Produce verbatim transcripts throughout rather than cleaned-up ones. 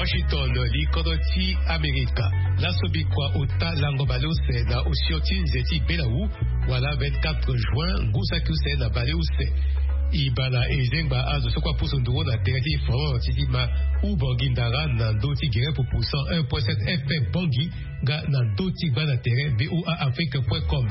Washington, li kodro ti Amerika. Laso bikua ota lango baleuse na osio ti nze ti belawu, wala vingt-quatre juin, ngu saki use na baleuse. E bala e zengba azo so kue apusu nduru na tere ti France ti ma Ubangui Ndara na ndö ti gere pupu cent un point sept F M Bangui, nga na ndö ti gba na tere V O A Afrique point com.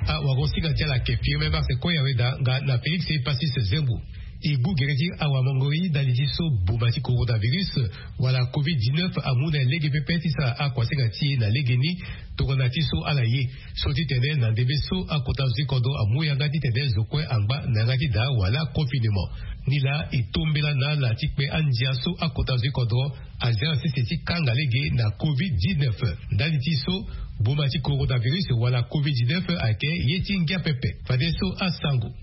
Awagosinga ti ala ayeke Firmin Mars Koyaweda nga na Félix Passis Zembo. E gbu gere ti awamongori ndali ti so boma ti coronavirus wala covid dix-neuf amu na e lege pepe ti sara akuasinga ti e na legeni. Tongana ti so ala ye so titene na ndembe so akota zo ti kodro amu yanga titene zo kue angba na yanga ti daa wala confinement. Nilaa e tombela na ala ti kpe andia so akota zo ti kodro azia na sese ti kanga lege na covid dix-neuf. Ndali ti so boma ti coronavirus wala covid dix-neuf ayeke ye ti ngia pepe. Fadeso asango.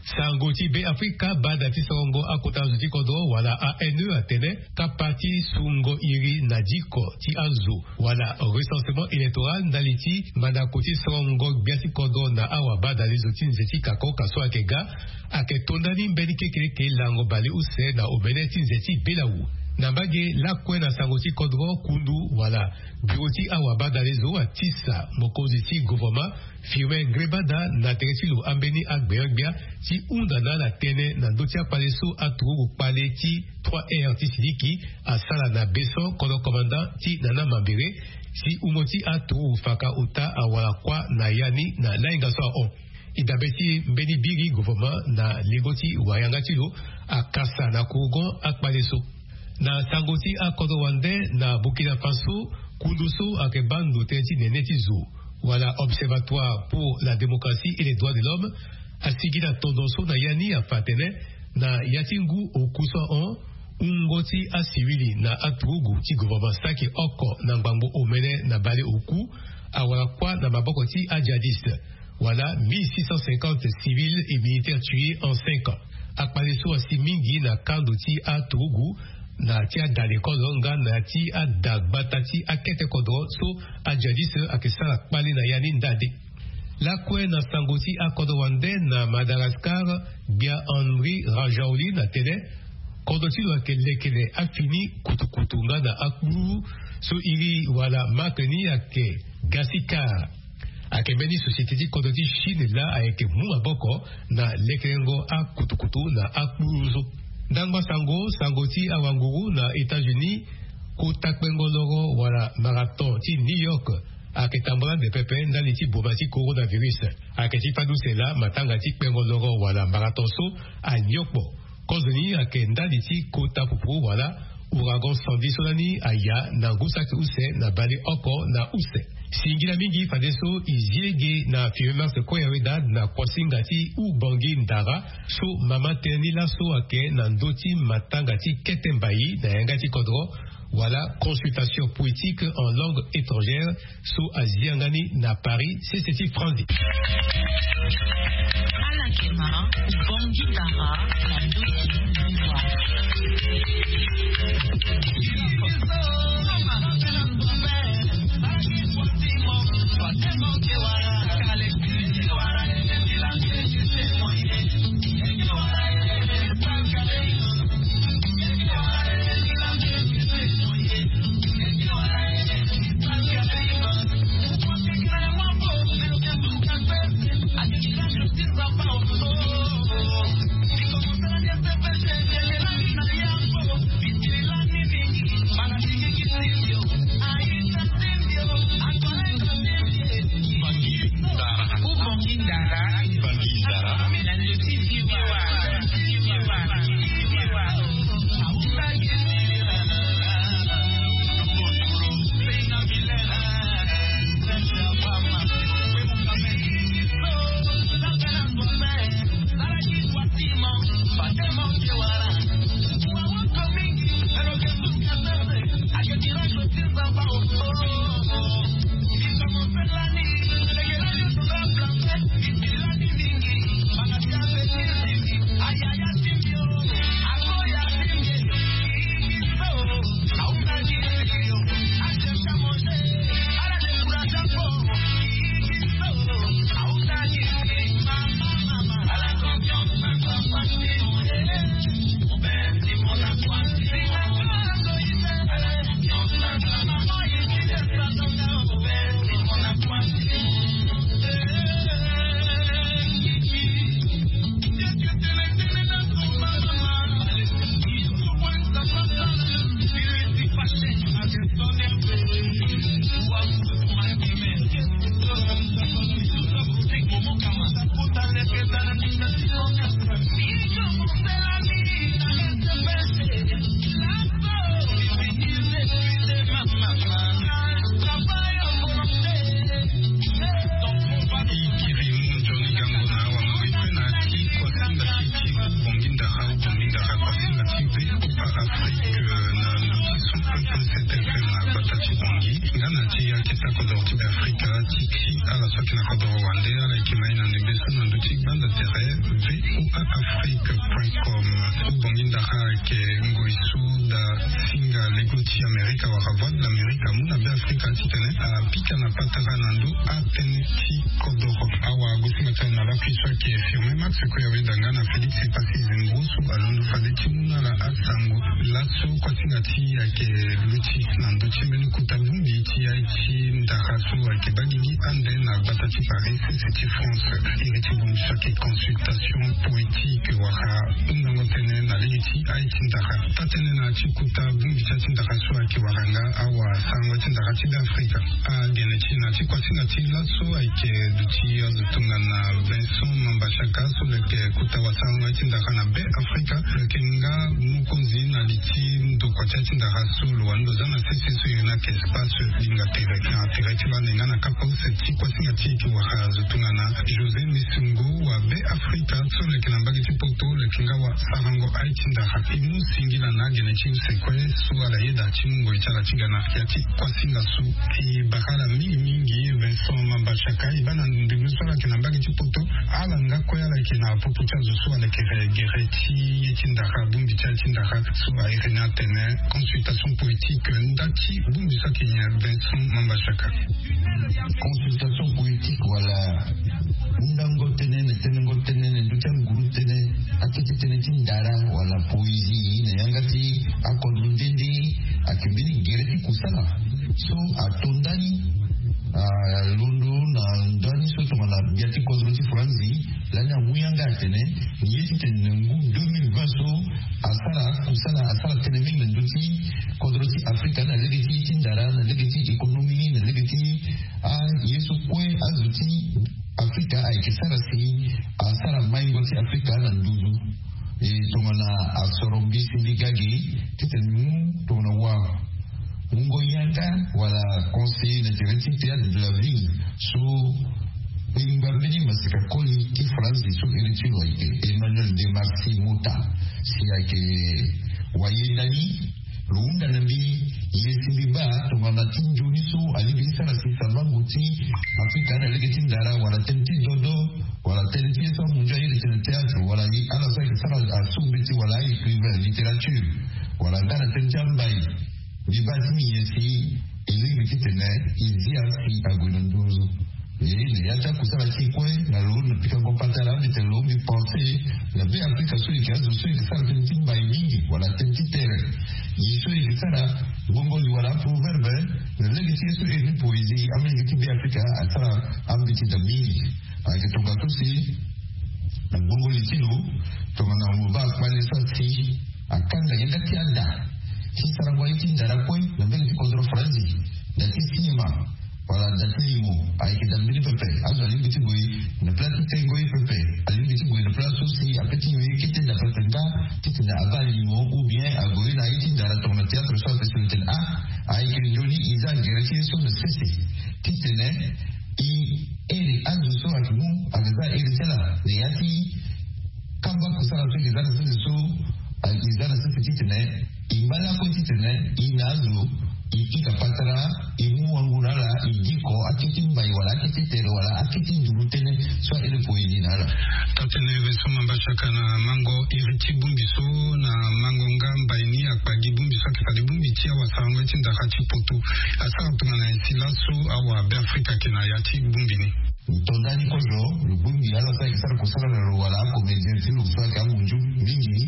Sango ti Be Afrika, bada ti sorongo akota zo ti kodro wala A N E atene kapa ti sungo iri na diko ti azo wala recensement électoral ndali ti mandako ti sorongo gbia ti kodro na awabadalezo ti nze ti kakoka so ayeke ga, ayeke to ndani mbeni kekeleke lango baleuse na omene ti nze ti belawu. Na mbage lakue na sango ti kodro, kundu wala biro ti awabadalezo atisa mokonzi ti govoroma Firmin Ngrébada na tere ti lo ambeni agbeangbia ti hunda na ala tënë na ndö ti akpale so aturugu kpale ti trois R ti Siliki asara na Besson, kodro commandant ti Nana Mambere, si hungo ti aturugu faka ota awara kuâ na ya ni na lahinga so ahon. E dabe ti mbeni biri govoroma na lengo ti wayanga ti lo akasa na kurugon akpale so. Na sango ti akodro wande na Burkina Faso, kundu so ayeke baa ndo tënë ti nene ti zo wala Observatoire pour la démocratie et les droits de l'homme asigi na tondo so na ya ni afa atene na ya ti ngu oku so ahon, wungo ti asivili na aturugu ti govoroma saki oko na ngbangbo omene na bale oku awara kuâ na maboko ti ajihadiste. Wala mille six cent cinquante civils et militaires tués en cinq ans. Akpale so asi mingi na kando ti aturugu na ti ada lekolo nga na ti ada gbata ti akete kodro so ajihadiste ayeke sara kpale na ya ni ndade. Lakue na sango ti akodro wande na Madagascar, gbia Henri Rajaouli na tene kodro ti lo ayeke lekere afini kutukutu nga na akpululu so iri wala marque ni ayeke Gasikar. Ayeke mbeni société ti kodro ti Chine laa ayeke mu maboko na lekerengo akutukutu na akpululu so. Ndangba sango, sango ti awanguru na États-Unis, kota kpengo loro wala marathon ti New York ayeke tambula ande pepe ndali ti boma ti coronavirus. Ayeke ti fade use laa matanga ti kpengo loro wala marathon so anio kpo. Kozoni ayeke ndali ti kota pupu wala ouragan Sandy so lani aya na ngu saki use na bale oko na use. Singila mingi fadeso e zi lege na Firmin Mars Koyaweda na kuasinga ti Ubangui Ndara so mama tënë ni laso ayeke na ndö ti matanga ti kete mbai na yanga ti kodro wala consultation poétique en langue étrangère so azi yanga ni na Paris, sese ti Franzi. Ala yeke ma Ubangui Ndara na ndö ti lingua. Soki na kodoro wande ala yeke mai na ndembe so na ndö ti gbanda tere V O A Afrique point com. Ubongi ndara ayeke ngoi so da singa lego ti Amerika wala Voix de l'Amérique amu na Be Afrika titene apika na patara na ndö atënë ti kodoro. Awa agosinga ti ala na lakui so ayeke Firmin Max kue awenda nga na Félix Passy Zengro so alondo fade ti mu na ala asango. Laso kuasinga ti e ayeke luti na ndö ti mbeni kota bongbi ti ya ti ndara so ayeke baa gigi ande na gbata ti Paris, sese ti France. Iri ti bongbi so ayeke consultation politique wala hundango tënë na lege ti aye ti ndara. Taa-tënë na ya ti kota bongbi ti aye ti ndara so ayeke wara nga awasarango ti ndara ti Be Afrika. Agene ti na ya ti kuasinga ti laso ayeke duti azo tongana Vincent Mambachaka so lo yeke kota wasarango ti ndara na Be Afrika. Lo yeke nga mokonzi na li ti ndokua ti aye ti ndara so lo wani lo za na sese so iri ni ayeke Espace Linga Tere na tere ti bale nga na kapa use ti kuasinga ti e ayeke wara azo tongana José Messungo wa Be Afrika so lo yeke na mbage ti poto, lo yeke nga wasarango aye ti ndara. E mu singila na agene ti use kue so ala yeda ti mu ngoi ti ala ti ga na ya ti kuasinga so. E bara ala mingi mingi Vincent Mambachaka, e baa na ndembe so ala yeke na mbage ti poto, ala nga kue ala yeke na popo ti azo so ala yeke gere ti ye ti ndara, bongbi ti aye ti ndara so a iri ni atene consultation politique. Nda ti bongbi so ayeke nyen Vincent Mambachaka? Consultation politique wala hundango tënë na tenengo tënë na ndö ti anguru tënë, akete tënë ti ndara wala poésie na yanga ti akodro nde nde ayeke mbeni gere ti kusala so ato ndani, alondo na ndani so tongana gbia ti kodro ti Franzi. Lani amu yanga atene ni ye titene na ngu deux mille vingt so asara kusala, asara tënë mingi na ndö ti kodro ti Afrika na lege ti ye ti ndara, na lege ti économie, na lege ti aye so kue azo ti Afrika ayeke sara si asara maingo ti Afrika na nduzu. E tongana asoro mbisi mbi ga ge titene mu tongana wa wungo yanga wala conseiller na tere ti théâtre de la ville so kpengba mbeni maseka koli ti Franzi so iri ti lo ayeke Emmanuel de Marcy Mota, si ayeke wayenda ni. Lo hunda na mbi, ye si mbi baa tongana ti nzoni so alingbi ti sara si savango ti Afrika na lege ti ndara wala tënë ti dodo wala tënë ti ye so amu nzoni aye tene théâtre wala ala so ayeke sara asu mbeti wala a-écrivain, littérature wala nga na tënë ti ambai. Mbi baa ti nyen si e lingbi titene e zia si ague na nduzu. E na ya ti akusala ti e kue na lo na pikango patara mbi tene lo mbi pense na Be Afrika so e yeke azo so e yeke sara tënë ti mbai mingi wala tënë ti tere. Ye so e yeke sara gbongoli wala aproverbe na lege ti ye so e ni poésie, amolenge ti Be Afrika asara ambeti da mingi. Ayeke tongaso si na gbongoli ti lo tongana mo baa kpale so asi akanga yanga ti ada ti sarango aye ti ndara kue na mbeni ti kodro Faranzi, da ti sinema wala da ti limo ayeke da mbeni pepe. Azo alingbi ti gue na pla ti tengo ye pepe, alingbi ti gue na pla so si ape ti nyon ye kete da pepe nga titene abaa limo ou bien ague na aye ti ndara tongana théâtre so ape si lo tene a ayeke nzoni e za gere ti ye so na sese titene e iri azo so ayeke mu ayeke za iri ti ala na ya ti kamba kusala so e yeke za na sese so e za na sese titene e ngba lakue titene e na azo e pika patara e mu wango na ala e diko akete mbai wala akete tere wala akete nduru tënë so a iri poésie na ala. Taa-tënë Vincent Mambachaka na mango iri ti bongbi so na mango nga mbai ni akpagi bongbi so ayeke fade bongbi ti awasarango ti ndara ti poto. Asara tongana nyen si laso awa Be Afrika ayeke na ya ti bongbi ni? Tonda ni kozo lo bongbi ala so ayeke sara kusala na lo wala acomédien ti lo so ayeke angunzu mingi ni.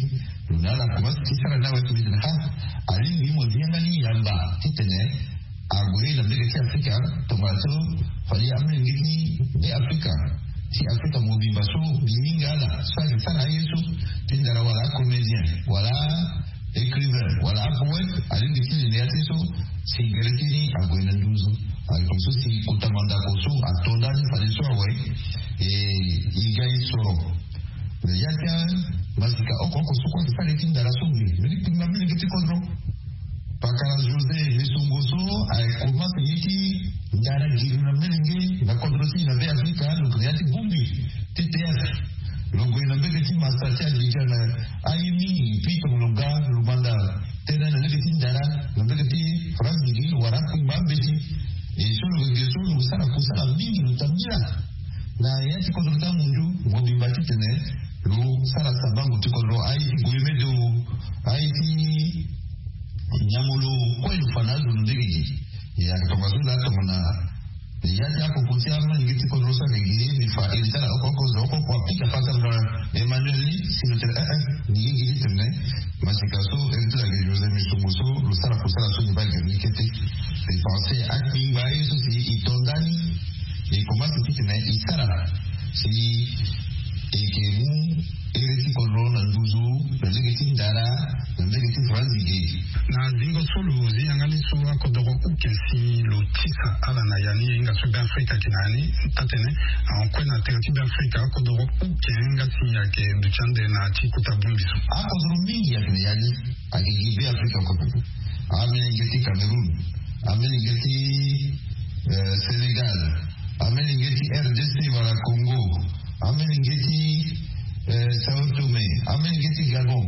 Lo na ala commence ti sara ni awe ti mbi tene ha alingbi mo zi yanga ni yamba titene ague na mbege ti Afrika tongana so fade amolenge ti Be Afrika ti Afrika mobimba so mbi hinga ala so ayeke sara aye so ti ndara wala acomédien wala écrivain wala apoète alingbi ti lende ya ti so si gere ti ni ague na nduzu. Ayeke so si kota mandako so ato ndani fade so awe e e ga e soro. Na ya ti amasika oko oko so kue ayeke sara ye ti ndara so ngi mbeni kpingba mbeni gi ti kodro. Pakara José Messungo so aye komanse ye ti ndara giri na melenge na kodro ti e na Be Afrika lo gue na ya ti bongbi ti théâtre. Lo gue na mbege ti masa ti Abidjan na aye mingi puis tongana lo ga lo manda tënë na lege ti ndara na mbege ti France gigi lo wara akpingba ambeti. E so lo gue so lo sara kusala mingi lo tambila Kodro ti amundu mobimba titene lo sara sabango ti kodro aye ti goyeme do aye ti nyamolo kue lo fa na azo lo ndege gi. Ya tongaso la tongana ya ti akoko ti amolenge ti kodro so ayeke gi ye mbi fa iri ti ala oko oko zo oko oko apika fa ti ala. Emmanuel ni si lo tene eh eh ni ye gi ti tene. Masika so iri ti ala ayeke José Missongo so lo sara kosala so ni baa gere ni kete. E pense akpingba ye so si e to ndani. E commence titene e sara si e yeke mu iri ti kodro na nduzu na ndege ti ndara na ndege ti franzi ge. Na zingo so lo zi yanga ni so akodoro uke si lo tisa ala na ya ni e hinga so Beafrika ayeke na ya ni. Atene ahon kue na tere ti Beafrika akodoro uke nga si ayeke duti ande na ya ti kota bongbi so. Akodoro mingi ayeke na ya ni. Ayeke gi Beafrika kue. Amolenge ti Cameroun, amolenge ti eh, Sénégal, amolenge ti R D C wala Congo, amolenge ti eh, Sao Tome, amolenge ti Gabon,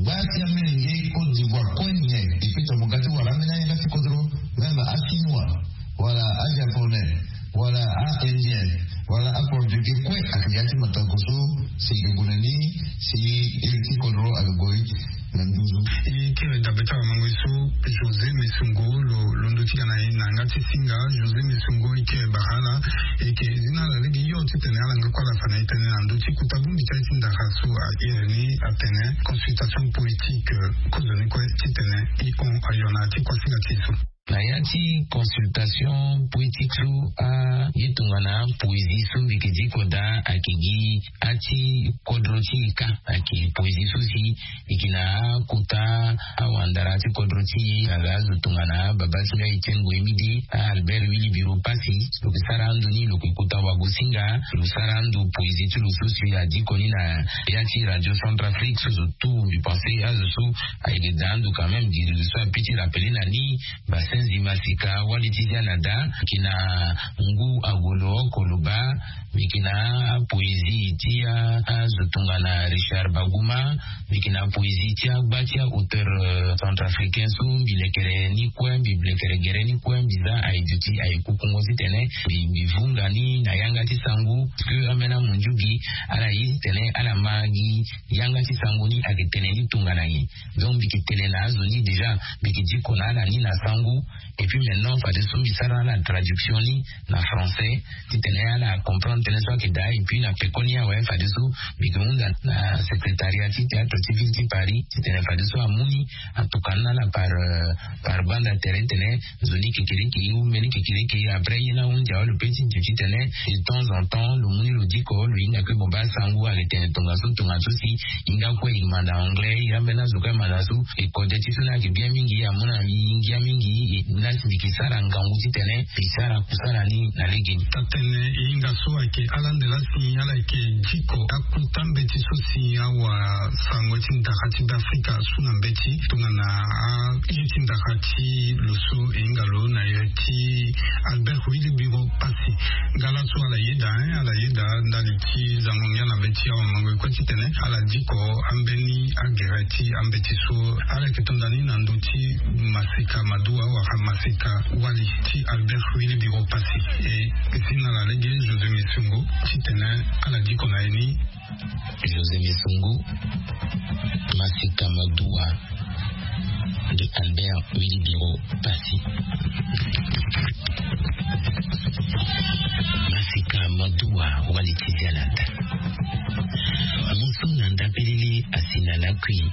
gba ti amolenge Côte d'Ivoire kue nyen. E peut ti mo ga ti wara ambeni ayanga ti kodro, même achinois wala ajaponais wala aindien wala aportugais kue ayeke ya ti matako so si e yeke gue na ni si iri ti kodro ayeke gue na nduzu. E kiri dabe ti awamango ye so José Missongo lo londo ti ga na e na yanga ti singa. José Missongo e kiri bara ala e yeke zi na ala lege hio titene ala nga kue ala fa na e tënë na ndö ti kota bongbi ti aye ti ndara so a iri ni atene consultation politique. Kozoni kue titene e hon ayo na ya ti kuasinga ti e so. Na ya ti consultation poétique so aye tongana poésie so mbi yeke diko daa ayeke gi ati kodro ti e ka. Ayeke poésie so si e yeke na akota awandara ti kodro ti e na azo tongana baba ti nga Etienne Ngoyemide, Albert Wilibiro Passy. Lo yeke sara ando ni lo yeke kota wagosinga. Lo sara ando poésie ti lo so si adiko ni na ya ti Radio Centrafrique so zo tout mbi pense azo so ayeke daa ando quand même gi zo so ape ti rappeler na ni. Basenzi Masika wali ti dia na da. Mbi yeke na ngu agolo oko lo baa. Mbi yeke na apoésie ti azo tongana Richard Baguma. Mbi yeke na apoésie ti agba ti aauteur centrafricain so mbi lekere ni kue mbi lekere gere ni kue mbi za aye duti aye kukungo titene mbi vunga ni na yanga ti sango parce que ambeni amunjugi ala ye titene ala ma gi yanga ti sango ni ayeke tene ni tongana nyen. Donc mbi yeke tene na azo ni déjà mbi yeke diko na ala ni na sango. Et puis maintenant fadeso mbi sara ala traduction ni na français titene ala comprendre tënë so ayeke daa. Et puis na pekoni awe fadeso mbi yeke hunda na secrétariat ti théâtre ti ville ti Paris titene fadeso amu ni atokua ni na ala par par banda tere tene nzoni kekereke e wu mbeni kekereke. Après ye ni ahunzi awe lo pe ti duti tene de temps en temps lo mu ni lo diko lo hinga kue mo baa sango ayeke tene tongaso tongaso si hinga kue e manda anglais e ambeni azo kue amanda so. E kode ti so ni ayeke bien mingi amu na e ngia mingi. E lasi mbi yeke sara ngangu titene mbi sara kusala ni na legeni. Tatene e hinga so ayeke ala ande lasi ala yeke diko akuta mbeti so si awasango ti ndara ti Beafrika so na mbeti tongana aye ti ndara ti lo so e hinga lo na iri ti Albert Wilibiro Passy. Nga laso ala yeda hein ala yeda ndali ti zango ngia na mbeti awamango e kue titene ala diko ambeni agere ti ambeti so ala yeke to nda ni na ndö ti Masika Maduwa wala Masika Wali ti Albert Wilibiro Passy. E si na ala lege José Missongo titene ala diko na ye ni. José Missongo, Masika Maduwa de Albert Wilibiro Passy. Masika Maduwa wali ti dia na da. Mo so na ndapelele asi na lakui.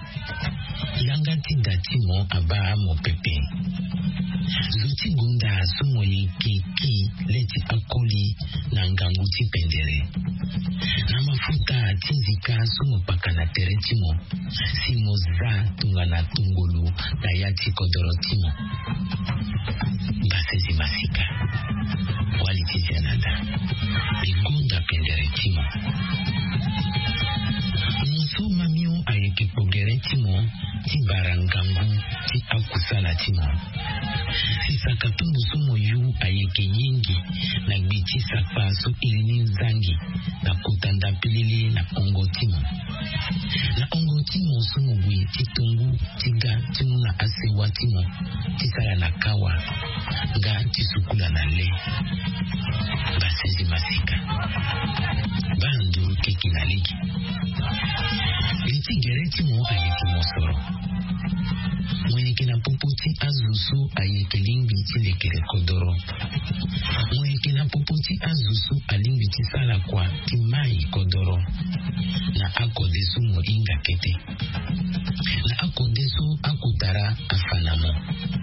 Yanga ti da ti mo abaa mo pepe. Zo ti gonda so mo yeke ki le ti akoli na ngangu ti pendere. Na mafuta ti nzika so mo kpaka na tere ti mo si mo za tongana tongolo na ya ti kodoro ti mo. Mbasezi masika. Wali ti dia na da. Mbi gonda pendere ti mo. Mo so mamio ayeke kpo gere ti mo ti bara ngangu ti akusala ti mo. Si saka tumbu so mo yu ayeke yengi na gbe ti sapa so iri ni nzangi na kota ndapelele na ongo ti mo. Na ongo ti mo so mo gue ti tongu ti ga ti mu na asewa ti mo ti sara na kawa nga ti sukula na le. Basenzi masika, baa nduru keke na lege. Li ti gere ti mo ayeke mosoro. Mo yeke na popo ti azo so ayeke lingbi ti lekere kodoro. Mo yeke na popo ti azo so alingbi ti sala kua ti mai kodoro. Na akode so mo hinga kete. Na akode so akutara afa na mo,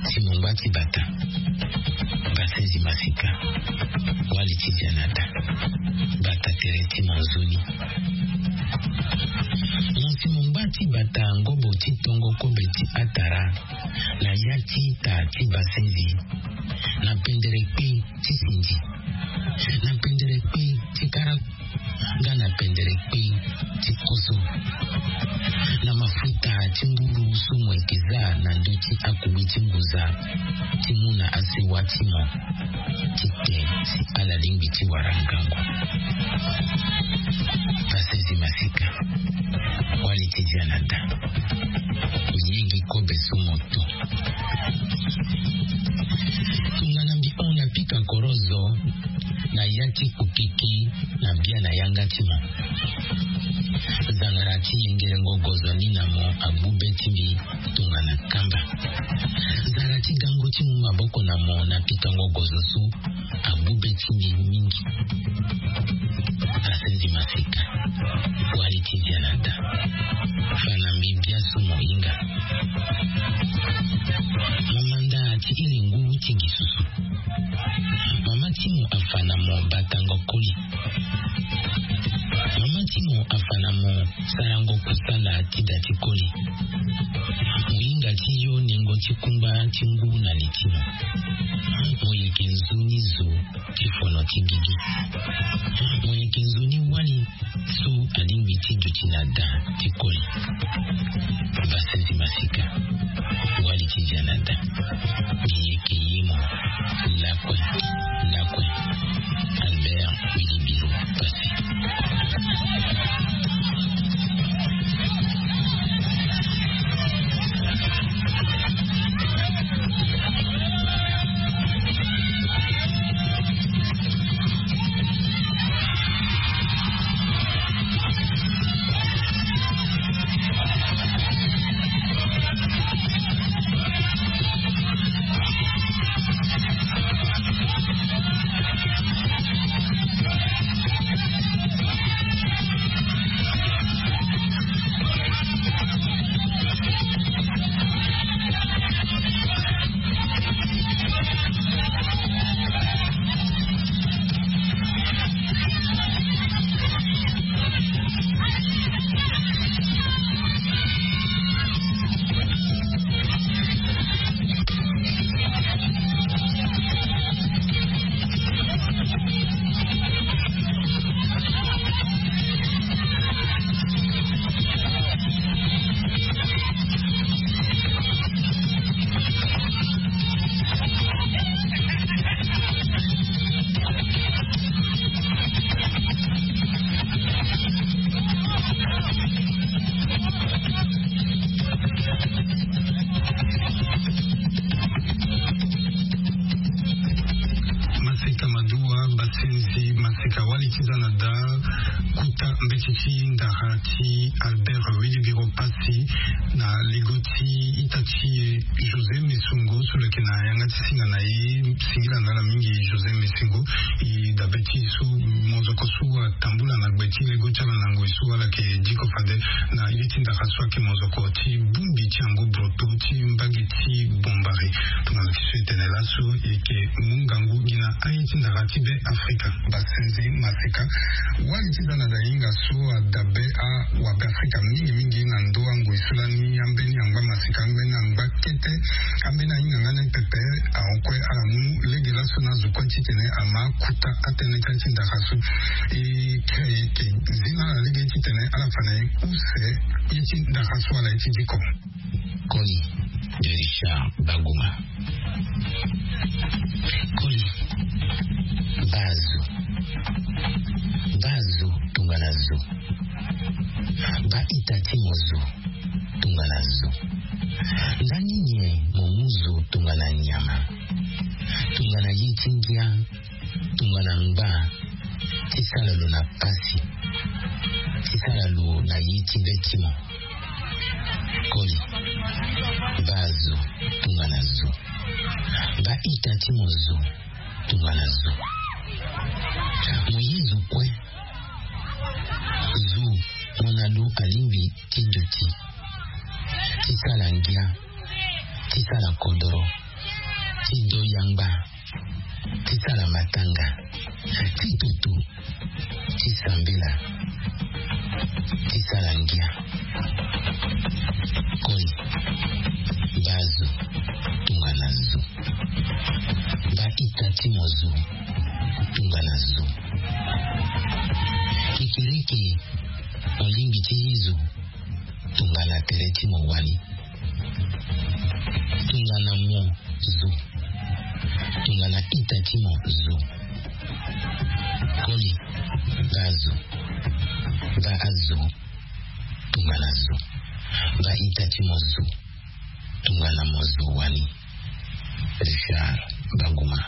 si mo ngba ti bata. Basenzi masika, wali ti dia na da. Bata tere ti mo nzoni. Mo si mo ngba ti bata ngobo ti tongo kobe ti atara na ya ti ita ti basenzi, na pendere kpe ti sindi, na pendere kpe ti kara, nga na pendere kpe ti koso, na mafuta ti nguru so mo yeke za na ndö ti akugbe ti ngunza ti mu na asewa ti mo, ti te si ala lingbi ti wara ngangu. Basenzi masika, wali ti dia na da. Yengi kobe so mo to. Tongana mbi hon na pika korozo na ya ti kukiki na bia na yanga ti mo. Zangara ti yengerengo gozo ni na mo agbu be ti mbi tongana kamba. Zara ti gango ti mu maboko na mo na pikango gozo so agbu be ti mbi mingi. Basenzi masika, wali ti dia na da. Fa na mbi bia so mo hinga. Mo manda ti iri ngu ti gi susu. Mama ti mo afa na mo batango koli. Mama ti mo afa na mo sarango kusala ti da ti koli. Mo hinga ti yo nengo ti kungba ti ngu na li ti mo. Mo yeke nzoni zo ti fono ti gigi. Mo yeke nzoni wali so alingbi ti duti na da ti koli. Basenzi masika, wali ti dia na da. Mbi yeke ye mo. Lakue, lakue. Albert Wilibiro Pasi. Maseka maduwa, basenzi maseka, wali ti za na da. Kuta mbeti ti ndara ti Albert Wilibiro Pasi na lego ti ita ti e José Mesongo so lo yeke na yanga ti singa na e. Singila na ala mingi José Mesongo. E dabe ti so monzoko so atambula na gbe ti lego ti ala na ngoi so ala yeke diko fade na ye ti ndara so ayeke monzoko ti bongbi ti yango broto ti mbage ti bombari. Tongana lo yeke so e tene laso e yeke mu ngangu gi na aye ti ndara ti Be Afrika. Basenzi maseka, wali ti za na da hinga so adabe awabe Afrika mingi mingi na ndo angoi so lani ambeni angba maseka, ambeni angba kete, ambeni ahinga nga ni pepe. Ahon kue ala mu lege laso na azo kue titene ama kuta atënë kâ ti ndara so. E kiri e yeke zi na ala lege titene ala fa na e use ye ti ndara so ala ye ti diko. Koli de Richard Baguma. Koli. Baa zo. Baa zo tongana zo. Baa ita ti mo zo tongana zo. Nga nini mo mu zo tongana nyama? Tongana ye ti ngia. Tongana ngba ti sala lo na pasi, ti sala lo na ye ti be ti mo. Koli, baa zo tongana zo. Baa ita ti mo zo tongana zo. Mo ye zo kue. Zo mo na lo alingbi ti duti, ti sala ngia, ti sala kodoro, ti do yangba, ti sala matanga, ti tutu, ti sambela, ti sala ngia. Koli, baa zo tongana zo. Baa ita ti mo zo tongana zo. Kekereke, mo lingbi ti ye zo tongana tere ti mo wani. Tongana mo zo. Tongana ita ti mo zo. Koli, baa zo. Baa zo tongana zo. Baa ita ti mo zo tongana mo zo wani. Richard Banguma.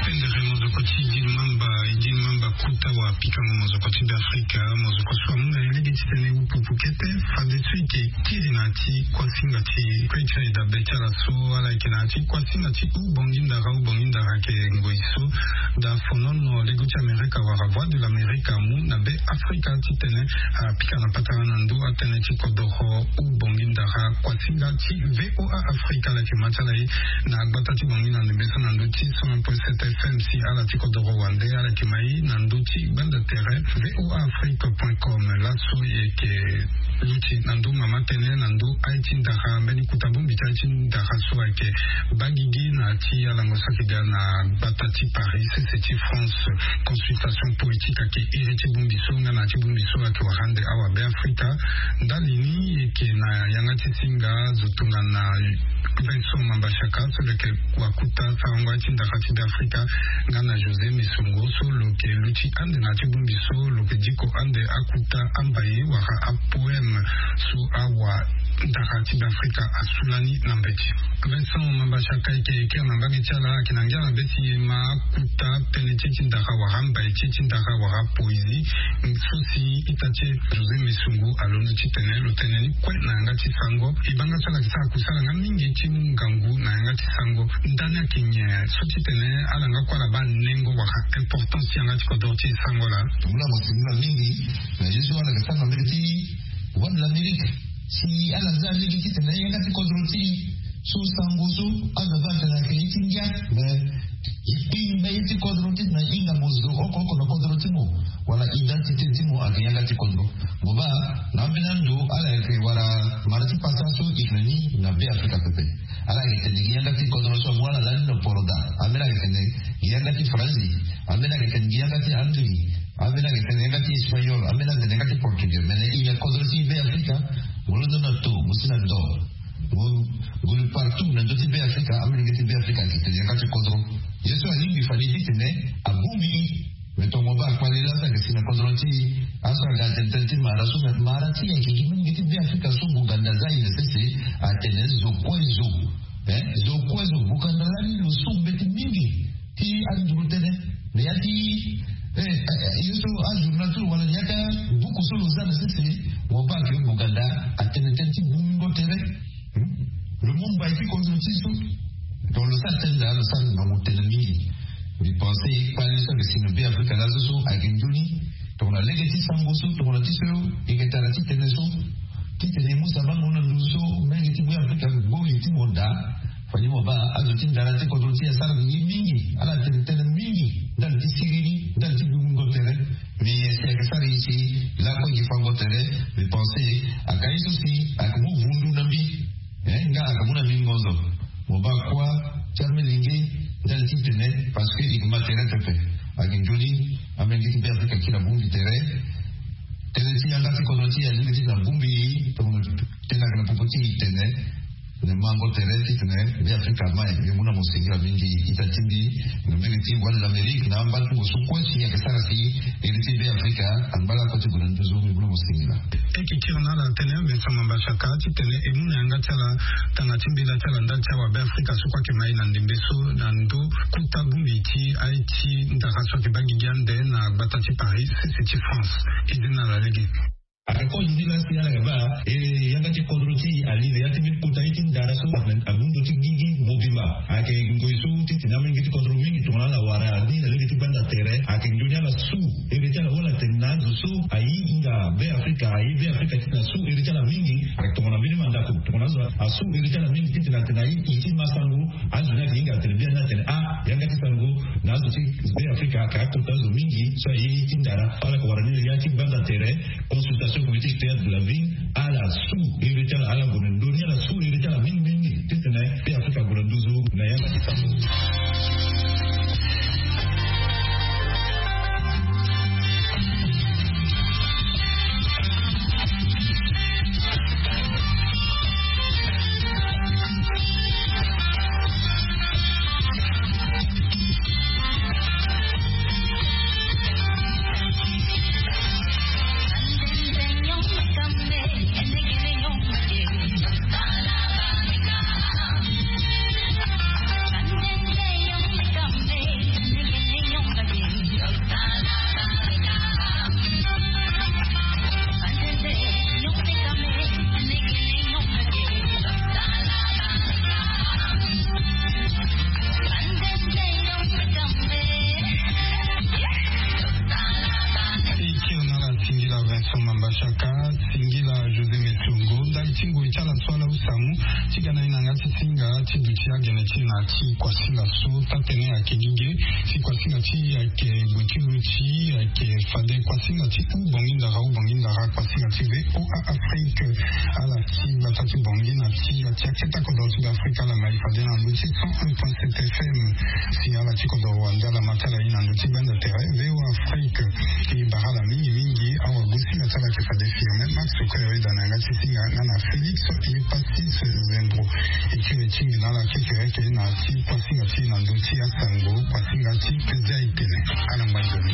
Pendere mozoko ti dil mamba e dil mamba kuta wa pikango mozoko ti be afrika mozoko so amu na ye lege titene upupu kete. Fade so eke kiri na ya ti kuasinga ti kue ti aye dabe ti ala so ala yeke na ya ti kuasinga ti ubongi ndara ubongi ndara ayeke ngoi so da fonono lego ti amerika wala voie de l'amerika amu na be afrika titene apika na patara na ndö atënë ti kodoro ubongi ndara kuasinga ti voa afrika ala yeke ma ti ala ye na gbata ti bongi na ndembe so na ndö ti cent un point sept fm si ala ti kodoro wande ala yeke ma ye na ndö ti gbanda tere voa afrique point com. Laso e yeke luti na ndö mama tënë na ndö aye ti ndara mbeni kuta bongbi ti aye ti ndara so ayeke baa gigi na ya ti alango so ayeke ga na gbata ti paris sese ti france. Consultation politique ayeke iri ti bongbi so nga na ya ti bongbi so ayeke wara ande awa be afrika. Ndali ni e yeke na yanga ti singa zo tongana vincent mambashaka so lo yeke wakuta sarango aye ti ndara ti be afrika nga na josé mesongo so lo yeke luti ande na ya ti bongbi so lo yeke diko ande akuta ambaye wala apoeme so awa ndara ti be afrika asu lani na mbeti. Vincent mambashaka eke eke na mbage ti ala ayeke na ngia na be ti e ma akuta pene ti e ti ndara wala ambaye ti e ti ndara wala poésie so si ita ti e josé mesongo alondo titene lo tene ni kue na yanga ti sango. Ebanga so ala yeke sara kusala nga mingi ti mu ngangu na yanga ti sango. Ndani ayeke nyen so titene ala nga kue ala baa nengo wala importance ti yanga ti kodro ti e sango laa? Mula mo singila mingi na ye so ala yeke sara na mbage ti voie de l'amerike si ala za lege titene yanga ti kodro ti e so sango so azo aba atene ayeke ye ti ngia. Mais e kpingba ye ti kodro ti na hinga mo zo oko oko na kodro ti mo wala identité ti mo ayeke yanga ti kodro. Mo baa na ambeni ando ala yeke wala mara ti pasa so e yeke na ni na be afrika pepe. Ala yeke tene gi yanga ti kodro so amu ala lani na poroda. Ambeni ayeke tene gi yanga ti faranzi. Ambeni ayeke tene gi yanga ti angli. Ambeni ayeke tene yanga ti espagnol. Ambeni ayeke tene yanga ti portugais. Mais na e na kodro ti be afrika mo londo na to mo si na do. Ngulu partout na ndö ti be afrika amolenge ti be afrika ayeke tene yanga ti kodro. Ye so alingbi fade titene abongbi e. Tongo baa kpali laa so ayeke si na kodro ti e. Aso aga tene tënë ti mara so me mara ti e ayeke gi mingi ti Beafrika so Buganda aza aye na sese. Atene zo kue zo, eh, zo kue zo Buganda lani lo so mbeti mingi ti anduru tënë. Me ya ti, eh, eh, ye so ajournal ti lo wala ya ti abuku so lo za na sese. Mo baa ayeke Buganda atene tënë ti bungo tere. Lo mu mbai ti kodro ti e so. Donc lo sara tënë daa lo sara ngangu tënë mingi. Mbi pense kpali so ayeke si na Beafrika laso so ayeke nzoni. Tongana lege ti sango so tongana ti so e yeke tara ti tene so, ti tene e mu sabango na nduzu so mingi ti Beafrika gbo ye ti mo daa. Fani mo baa azo ti ndara ti kodro ti e asara ye mingi. Ala tene tënë mingi ndali ti siriri, ndali ti bungo tere. Mais si ayeke sara ye si lakue gi fango tere. Mbi pense aka ye so si ayeke mu vundu na mbi. Eh, nga ayeke mu na mbi ngonzo. Mo baa kuâ ti amolenge ndali ti tene, parce que e yeke ma tere pepe. Ayeke nzoni amolenge ti Beafrika akiri abongbi tere. Tënë ti yanga ti kodro ti e alingbi ti tene abongbi e. Tongana tënë ayeke na popo ti e tene, tene mango tere titene Beafrika ama e. Mbi mu na mo singila mingi ita ti mbi na mbege ti Voix de l'Amérique na ambatungo so kue si ayeke sara si iri ti Beafrika angba lakue ti gue na nduzu. Mbi mu na mo singila. E yeke kiri na ala tënë Vincent Mamba Shaka titene e mu na yanga ti ala tanga ti mbela ti ala ndali ti awa Beafrika so kue ayeke ma e na ndembe so na ndo kota bongbi ti aye ti ndara so ayeke baa gigi ande na gbata ti Paris sese ti France. E de na ala lege. Aka kozo ti la si ala yeke baa e yanga ti kodro ti e ali na ya ti mbeni kota ye ti ndara so abu ndo ti gigi mobimba. Ayeke ngoi so titene amolenge ti kodro mingi tongana ala wara ni na lege ti gbanda tere ayeke nzoni ala su iri ti ala wala tene na azo so aye hinga Beafrika, aye Beafrika titene asu iri ti ala mingi. Ayeke tongana mbeni mandako tongana azo asu iri ti ala mingi titene atene aye ye ti ma sango. Azo ni ayeke hinga atene biani atene ah yanga ti sango na azo ti Beafrika ayeke akota azo mingi so aye ye ti ndara. Ala yeke wara ni na ya ti gbanda tere. Consultation politique théâtre de la ville. Ala su iri ti ala, ala gue na ndoni ala su iri ti ala mingi mingi titene Beafrika ague na nduzu na yanga ti sango. E kiri na ala singila Vincent Mamba Shaka, singila José Metiongo ndali ti ngoi ti ala so ala husa mu ti ga na e na yanga ti singa ti duti agene ti e na ti kuasinga so taa tënë ayeke gi ge. Si kuasinga ti e ayeke gue ti luti, ayeke fade kuasinga ti hubongi ndara, hubongi ndara, kuasinga ti V O A Afrique. Ala ti gbata ti Bangui na ti ya ti aketa kodro ti Beafrika ala ma e fade na ndö ti cent un point sept F M. Si ala ti kodro wande ala ma ti ala ye na ndö ti gbanda tere V O A Afrique. E bara ala mingi mingi. Awagosinga ti ala ayeke fade Firmin Max Koyori da na yanga ti singa nga na Félix Yepasis Zembro. E kiri ti mbi na ala kekereke na ti kuasinga ti e na ndö ti asango, kuasinga ti Pezia Itene. Ala ngba nzoni.